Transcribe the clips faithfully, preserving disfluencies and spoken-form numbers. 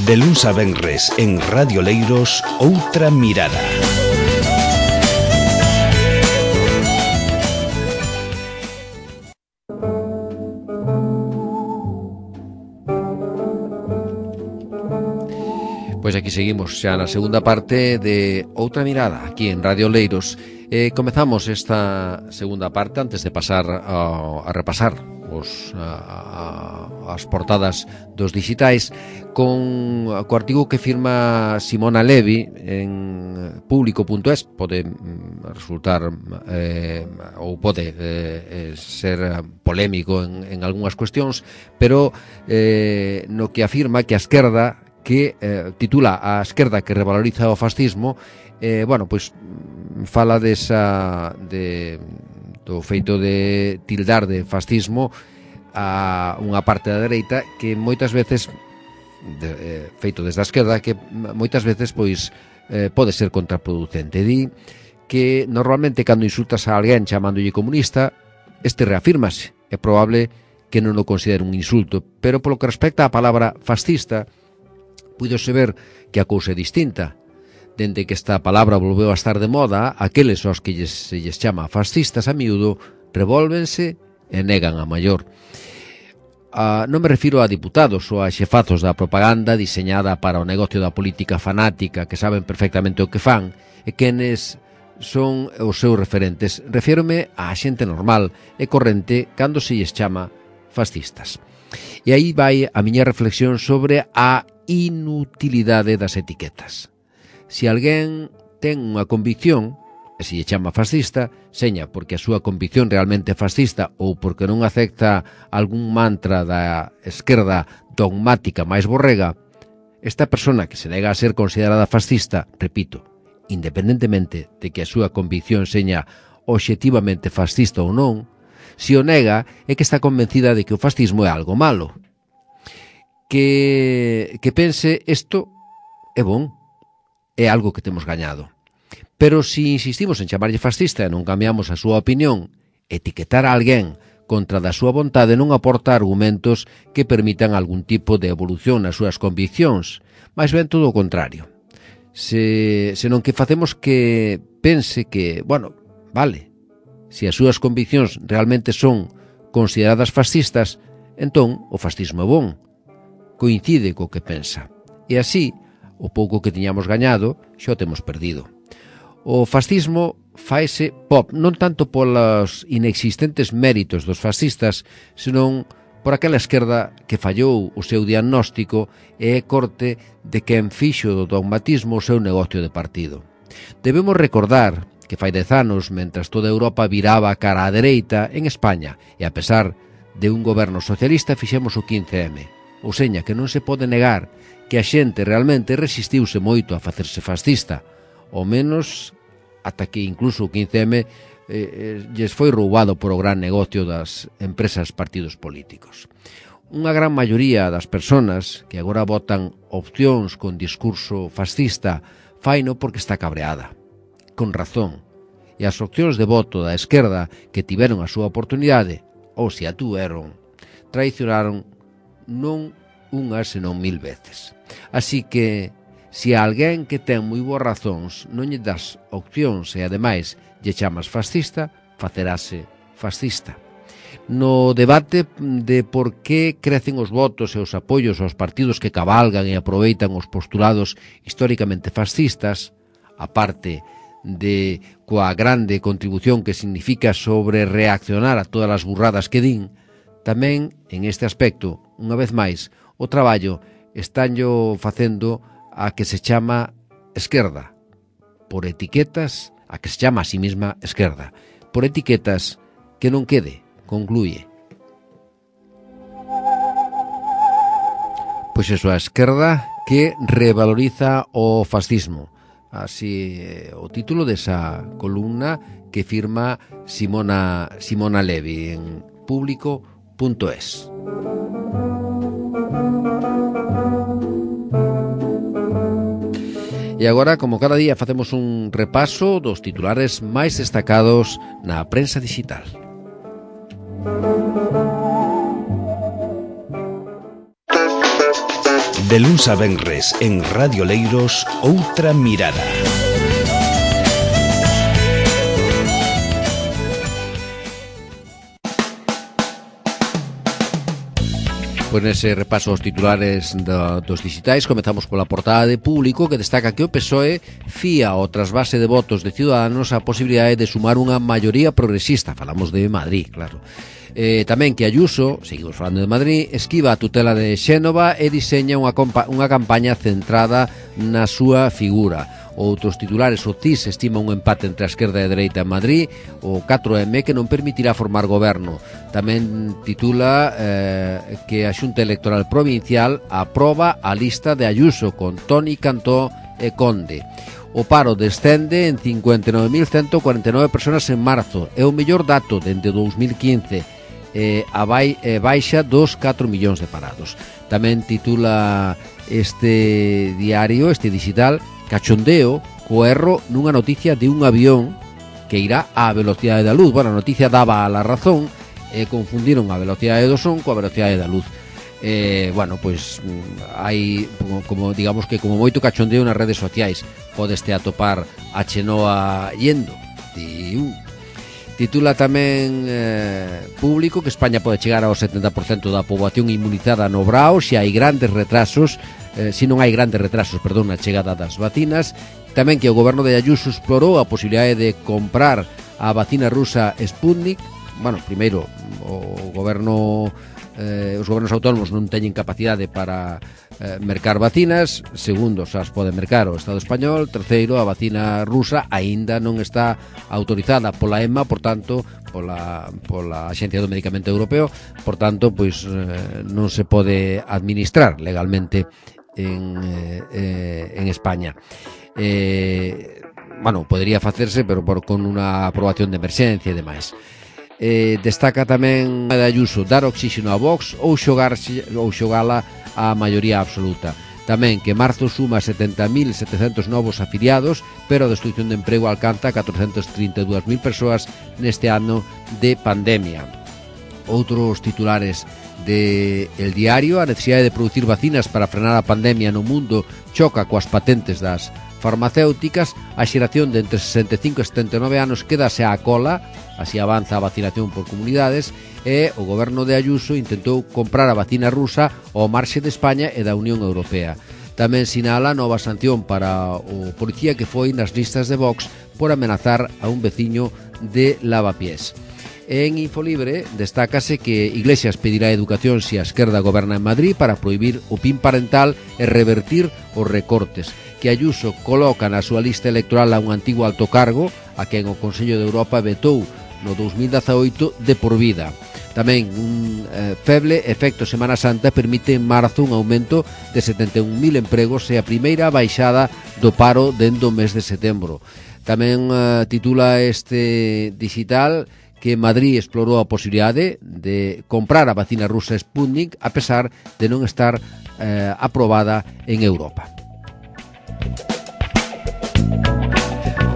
De luns a venres en Radio Leiros, Outra Mirada. Pois aquí seguimos xa na segunda parte de Outra Mirada, aquí en Radio Leiros. Eh, comezamos esta segunda parte antes de pasar a, a repasar os, a, a, as portadas dos digitais con o artigo que firma Simona Levi en público punto es. Pode resultar eh, ou pode eh, ser polémico en, en algunhas cuestións, pero eh, no que afirma que a esquerda que eh, titula A esquerda que revaloriza o fascismo, eh, bueno, pois fala desa de, do feito de tildar de fascismo a unha parte da dereita que moitas veces de, eh, feito desde a esquerda que moitas veces pois eh, pode ser contraproducente. Di que normalmente cando insultas a alguén chamándolle comunista, este reafírmase. É probable que non o considere un insulto, pero polo que respecta á palabra fascista, puidose ver que a cousa é distinta. Dende que esta palabra volveu a estar de moda, aqueles aos que lles, se lles chama fascistas a miúdo revólvense e negan a maior. Ah, non me refiro a diputados ou a xefazos da propaganda diseñada para o negocio da política fanática que saben perfectamente o que fan e quenes son os seus referentes. Refírome á xente normal e corrente cando se lles chama fascistas. E aí vai a miña reflexión sobre a inutilidade das etiquetas. Se alguén ten unha convicción e se lle chama fascista, seña porque a súa convicción realmente é fascista ou porque non acepta algún mantra da esquerda dogmática máis borrega, esta persona que se nega a ser considerada fascista, repito, independentemente de que a súa convicción seña obxectivamente fascista ou non, se o nega é que está convencida de que o fascismo é algo malo. Que, que pense isto é bon, é algo que temos gañado. Pero se insistimos en chamarlle fascista e non cambiamos a súa opinión, etiquetar a alguén contra da súa vontade non aporta argumentos que permitan algún tipo de evolución nas súas conviccións, máis ben todo o contrario. Se, senón que facemos que pense que, bueno, vale, se as súas conviccións realmente son consideradas fascistas, entón o fascismo é bon, coincide co que pensa. E así, o pouco que tiñamos gañado, xa o temos perdido. O fascismo faise pop, non tanto polos inexistentes méritos dos fascistas, senón por aquela esquerda que fallou o seu diagnóstico e é corte de quen fixo do dogmatismo o seu negocio de partido. Debemos recordar que fai dez anos, mentras toda Europa viraba cara á dereita, en España, e a pesar de un goberno socialista, fixemos o quince eme. Ou seña, que non se pode negar que a xente realmente resistiuse moito a facerse fascista, ao menos ata que incluso o quince eme eh, lles foi roubado por o gran negocio das empresas partidos políticos. Unha gran maioría das persoas que agora votan opcións con discurso fascista faino porque está cabreada, con razón, e as opcións de voto da esquerda que tiveron a súa oportunidade, ou se a tuveron, traicionaron non unha senón mil veces. Así que, se a alguén que ten moi boas razóns non lle das opcións e ademais lle chamas fascista, facerase fascista. No debate de por que crecen os votos e os apoios aos partidos que cabalgan e aproveitan os postulados históricamente fascistas, aparte de coa grande contribución que significa sobre reaccionar a todas as burradas que din, tamén, en este aspecto, unha vez máis, o traballo estanllo facendo a que se chama esquerda, por etiquetas, a que se chama a sí mesma esquerda, por etiquetas que non quede, concluye. Pois eso, a esquerda que revaloriza o fascismo. Así o título desa columna que firma Simona, Simona Levi en público punto es. E agora, como cada día, facemos un repaso dos titulares máis destacados na prensa digital. De luns a venres en Radio Leiros, Outra Mirada. Pois nese repaso aos titulares do, dos digitais comezamos pola portada de Público, que destaca que o P S O E fía ao trasvase de votos de Ciudadanos a posibilidade de sumar unha maioría progresista. Falamos de Madrid, claro. Eh, tamén que Ayuso, seguimos falando de Madrid, esquiva a tutela de Xénova e diseña unha, compa- unha campaña centrada na súa figura. Outros titulares, o C I S estima un empate entre a esquerda e a dereita en Madrid, o catro eme que non permitirá formar goberno. Tamén titula eh, que a Xunta Electoral Provincial aproba a lista de Ayuso con Toni Cantó e Conde. O paro descende en cincuenta e nove mil ciento cuarenta e nove personas en marzo, é o mellor dato dende dous mil quince, eh, a bai, eh, baixa dos catro millóns de parados. Tamén titula este diario, este digital, cachondeo co erro nunha noticia de un avión que irá á velocidade da luz. Bueno, a noticia daba a la razón e confundiron a velocidade do son coa velocidade da luz. Eh, bueno, pois hai como, como digamos que como moito cachondeo nas redes sociais. Podeste atopar a Chenoa yendo de un. Titula tamén eh, Público que España pode chegar ao setenta por cento da poboación inmunizada no Brao se hai grandes retrasos Eh, se non hai grandes retrasos, perdón, na chegada das vacinas. Tamén que o goberno de Ayuso explorou a posibilidade de comprar a vacina rusa Sputnik. Bueno, primeiro, o goberno eh, os gobernos autónomos non teñen capacidade para eh, mercar vacinas. Segundo, xa as pode mercar o Estado español. Terceiro, a vacina rusa aínda non está autorizada pola EMA, por tanto, pola, pola Axencia do Medicamento Europeo, por tanto, pois eh, non se pode administrar legalmente en, eh, en España. Eh, bueno, podría facerse, pero por, con unha aprobación de emerxencia e demais. Eh, destaca tamén de Ayuso dar oxígeno a Vox ou xogarse, ou xogala a maioría absoluta. Tamén que marzo suma setenta mil setecentos novos afiliados, pero a destrucción de emprego alcanza catrocentas trinta e dúas mil persoas neste ano de pandemia. Outros titulares de El Diario, a necesidade de producir vacinas para frenar a pandemia no mundo choca coas patentes das farmacéuticas. A xeración de entre sesenta e cinco e setenta e nove anos quedase á cola, así avanza a vacinación por comunidades, e o goberno de Ayuso intentou comprar a vacina rusa ao marxe de España e da Unión Europea. Tamén sinala nova sanción para o policía que foi nas listas de Vox por amenazar a un veciño de Lavapiés. En Infolibre destácase que Iglesias pedirá educación se a esquerda goberna en Madrid para prohibir o P I N parental e revertir os recortes. Que Ayuso coloca na súa lista electoral a un antigo alto cargo a quen o Consello de Europa vetou no dous mil dezaoito de por vida. Tamén un eh, feble efecto Semana Santa permite en marzo un aumento de setenta e un mil empregos e a primeira baixada do paro dende o mes de setembro. Tamén eh, titula este digital que Madrid explorou a posibilidade de comprar a vacina rusa Sputnik a pesar de non estar eh, aprobada en Europa.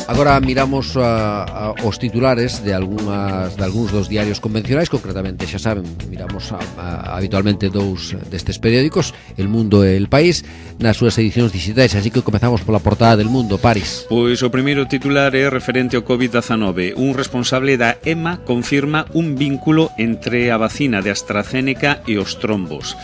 Agora miramos a, a, os titulares de algunhas de algúns dos diarios convencionais, concretamente, xa saben, miramos a, a, habitualmente dous destes periódicos, El Mundo e El País, nas súas edicións digitais, así que comezamos pola portada del Mundo. Paris. Pois o primeiro titular é referente ao covid dezanove. Un responsable da EMA confirma un vínculo entre a vacina de AstraZeneca e os trombos.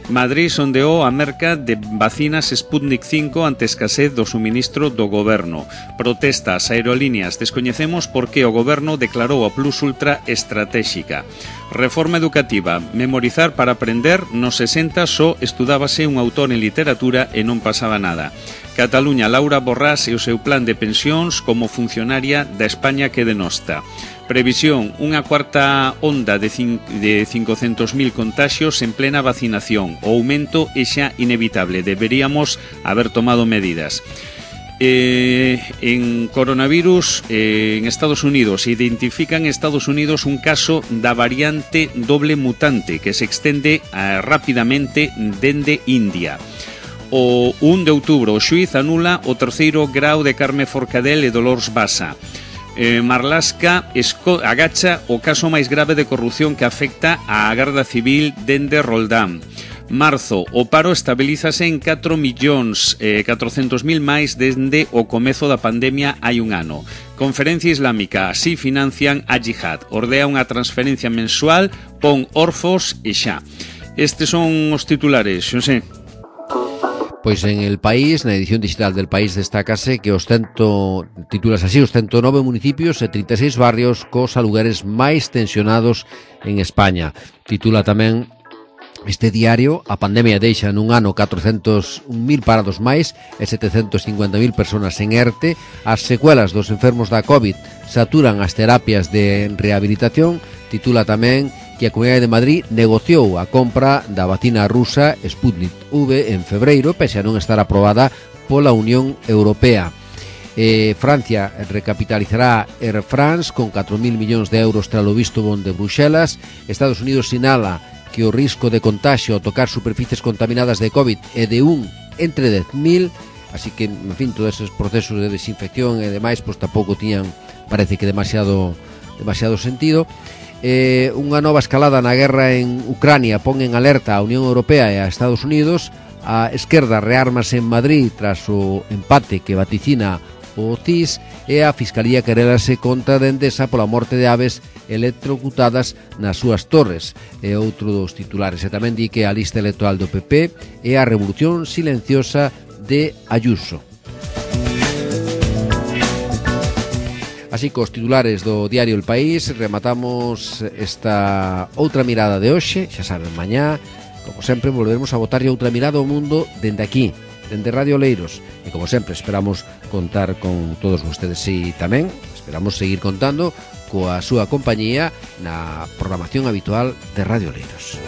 Madrid sondeou a merca de vacinas Sputnik cinco ante escasez do suministro do goberno. Protestas aerolíneas. Descoñecemos por que o goberno declarou a Plus Ultra estratéxica. Reforma educativa. Memorizar para aprender. Nos sesenta só estudábase un autor en literatura e non pasaba nada. Cataluña, Laura Borrás e o seu plan de pensións como funcionaria da España que denosta. Previsión, unha cuarta onda de, de cincocentos mil contagios en plena vacinación. O aumento é xa inevitable. Deberíamos haber tomado medidas. Eh, en coronavirus eh, en Estados Unidos identifican en Estados Unidos un caso da variante doble mutante que se extende eh, rápidamente dende India. O un de outubro o xuíz anula o terceiro grau de Carme Forcadell e Dolores Basa. Eh, Marlaska esco, agacha o caso máis grave de corrupción que afecta á Garda Civil dende Roldán. Marzo, o paro estabilízase en catro millóns catrocentos mil máis dende o comezo da pandemia hai un ano. Conferencia Islámica, así financian a Jihad. Ordea unha transferencia mensual, pon Orfos e xa. Estes son os titulares, Xosé. Pois en El País, na edición digital del País, destácase que os cento, titulas así, os ciento nove municipios e trinta e seis barrios cos alugueres máis tensionados en España. Titula tamén este diario: a pandemia deixa nun ano catrocentos un mil parados máis e setecentos cincuenta mil personas en ERTE. As secuelas dos enfermos da COVID saturan as terapias de rehabilitación. Titula tamén que a Comunidade de Madrid negociou a compra da vacina rusa Sputnik V en febreiro, pese a non estar aprobada pola Unión Europea. Eh, Francia recapitalizará Air France con catro mil millóns de euros tras o visto bon de Bruxelas. Estados Unidos sinala que o risco de contagio ao tocar superficies contaminadas de COVID é de un entre dez mil, así que, en fin, todos esos procesos de desinfección e demais, pois tampouco tiñan, parece que demasiado demasiado sentido. Eh, unha nova escalada na guerra en Ucrania pon en alerta a Unión Europea e a Estados Unidos. A esquerda reármase en Madrid tras o empate que vaticina o C I S, e a Fiscalía querelase contra de Endesa pola morte de aves electrocutadas nas súas torres. É outro dos titulares. E tamén di que a lista electoral do P P é a revolución silenciosa de Ayuso. Así, cos titulares do diario El País, rematamos esta outra mirada de hoxe. Xa saben, mañá, como sempre, volveremos a botarlle outra mirada ao mundo dende aquí, dende Radio Oleiros. E como sempre, esperamos contar con todos vostedes. E tamén esperamos seguir contando coa súa compañía na programación habitual de Radio Oleiros.